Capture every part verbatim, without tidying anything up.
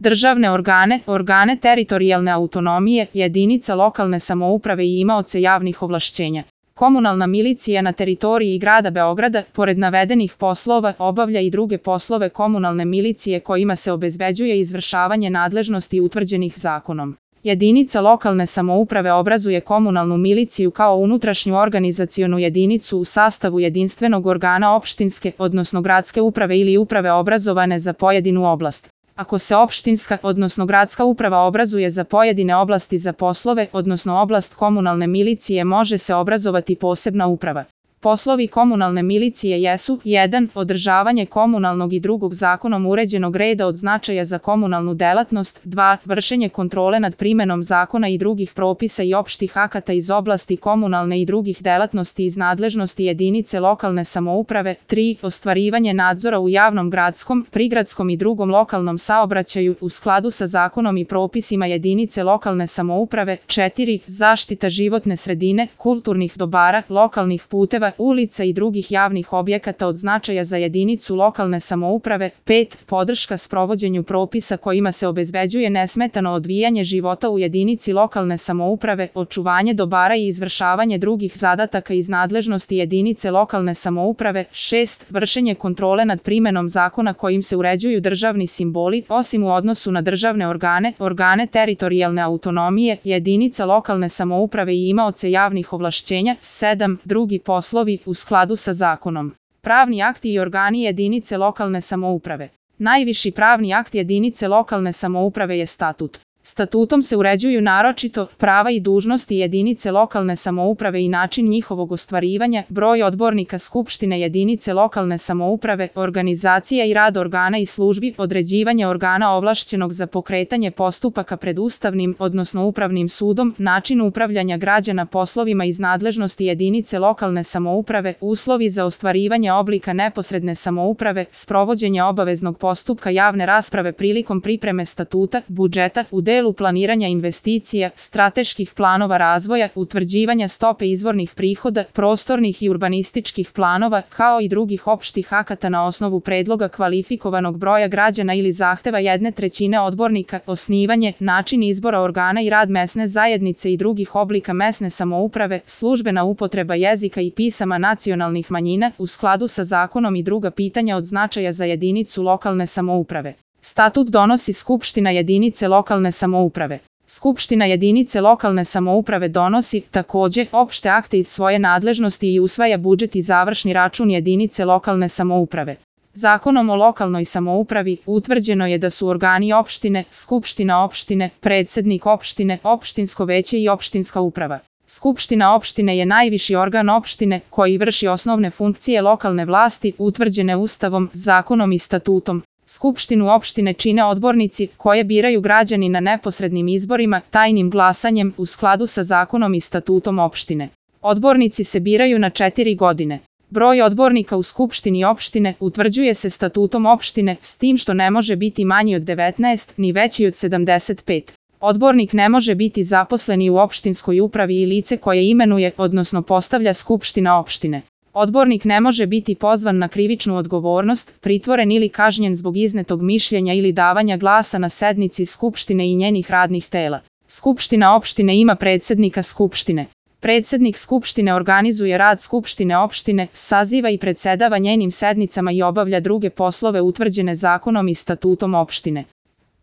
državne organe, organe teritorijalne autonomije, jedinica lokalne samouprave i imaoce javnih ovlašćenja. Komunalna milicija na teritoriji grada Beograda, pored navedenih poslova, obavlja i druge poslove komunalne milicije kojima se obezbeđuje izvršavanje nadležnosti utvrđenih zakonom. Jedinica lokalne samouprave obrazuje komunalnu miliciju kao unutrašnju organizacionu jedinicu u sastavu jedinstvenog organa opštinske, odnosno gradske uprave ili uprave obrazovane za pojedinu oblast. Ako se opštinska, odnosno gradska uprava obrazuje za pojedine oblasti za poslove, odnosno oblast komunalne milicije, može se obrazovati posebna uprava. Poslovi komunalne milicije jesu: jedan Održavanje komunalnog i drugog zakonom uređenog reda od značaja za komunalnu delatnost, dva Vršenje kontrole nad primenom zakona i drugih propisa i opštih akata iz oblasti komunalne i drugih delatnosti iz nadležnosti jedinice lokalne samouprave, tri Ostvarivanje nadzora u javnom gradskom, prigradskom i drugom lokalnom saobraćaju u skladu sa zakonom i propisima jedinice lokalne samouprave, četiri Zaštita životne sredine, kulturnih dobara, lokalnih puteva, ulica i drugih javnih objekata od značaja za jedinicu lokalne samouprave, pet Podrška sprovođenju propisa kojima se obezbeđuje nesmetano odvijanje života u jedinici lokalne samouprave, očuvanje dobara i izvršavanje drugih zadataka iz nadležnosti jedinice lokalne samouprave, šest Vršenje kontrole nad primenom zakona kojim se uređuju državni simboli, osim u odnosu na državne organe, organe teritorijalne autonomije, jedinica lokalne samouprave i imaoce javnih ovlašćenja, sedam Drugi poslovi u skladu sa zakonom. Pravni akti i organi jedinice lokalne samouprave. Najviši pravni akt jedinice lokalne samouprave je statut. Statutom se uređuju naročito prava i dužnosti jedinice lokalne samouprave i način njihovog ostvarivanja, broj odbornika skupštine jedinice lokalne samouprave, organizacija i rad organa i službi, određivanje organa ovlašćenog za pokretanje postupaka pred ustavnim, odnosno upravnim sudom, način upravljanja građana poslovima iz nadležnosti jedinice lokalne samouprave, uslovi za ostvarivanje oblika neposredne samouprave, sprovođenje obaveznog postupka javne rasprave prilikom pripreme statuta, budžeta, u delu planiranja investicija, strateških planova razvoja, utvrđivanja stope izvornih prihoda, prostornih i urbanističkih planova, kao i drugih opštih akata na osnovu predloga kvalifikovanog broja građana ili zahteva jedne trećine odbornika, osnivanje, način izbora organa i rad mesne zajednice i drugih oblika mesne samouprave, službena upotreba jezika i pisama nacionalnih manjina u skladu sa zakonom i druga pitanja od značaja za jedinicu lokalne samouprave. Statut donosi Skupština jedinice lokalne samouprave. Skupština jedinice lokalne samouprave donosi, takođe, opšte akte iz svoje nadležnosti i usvaja budžet i završni račun jedinice lokalne samouprave. Zakonom o lokalnoj samoupravi utvrđeno je da su organi opštine, skupština opštine, predsednik opštine, opštinsko veće i opštinska uprava. Skupština opštine je najviši organ opštine koji vrši osnovne funkcije lokalne vlasti utvrđene Ustavom, zakonom i statutom. Skupštinu opštine čine odbornici koje biraju građani na neposrednim izborima, tajnim glasanjem u skladu sa zakonom i statutom opštine. Odbornici se biraju na četiri godine. Broj odbornika u skupštini opštine utvrđuje se statutom opštine, s tim što ne može biti manji od devetnaest ni veći od sedamdeset pet. Odbornik ne može biti zaposleni u opštinskoj upravi i lice koje imenuje, odnosno postavlja skupština opštine. Odbornik ne može biti pozvan na krivičnu odgovornost, pritvoren ili kažnjen zbog iznetog mišljenja ili davanja glasa na sednici skupštine i njenih radnih tela. Skupština opštine ima predsednika skupštine. Predsednik skupštine organizuje rad skupštine opštine, saziva i predsedava njenim sednicama i obavlja druge poslove utvrđene zakonom i statutom opštine.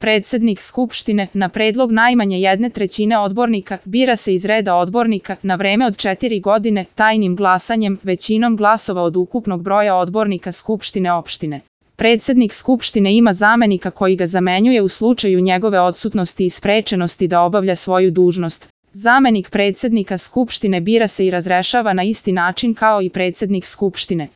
Predsednik skupštine, na predlog najmanje jedne trećine odbornika, bira se iz reda odbornika na vreme od četiri godine tajnim glasanjem, većinom glasova od ukupnog broja odbornika skupštine opštine. Predsednik skupštine ima zamenika koji ga zamenjuje u slučaju njegove odsutnosti i sprečenosti da obavlja svoju dužnost. Zamenik predsednika skupštine bira se i razrešava na isti način kao i predsednik skupštine.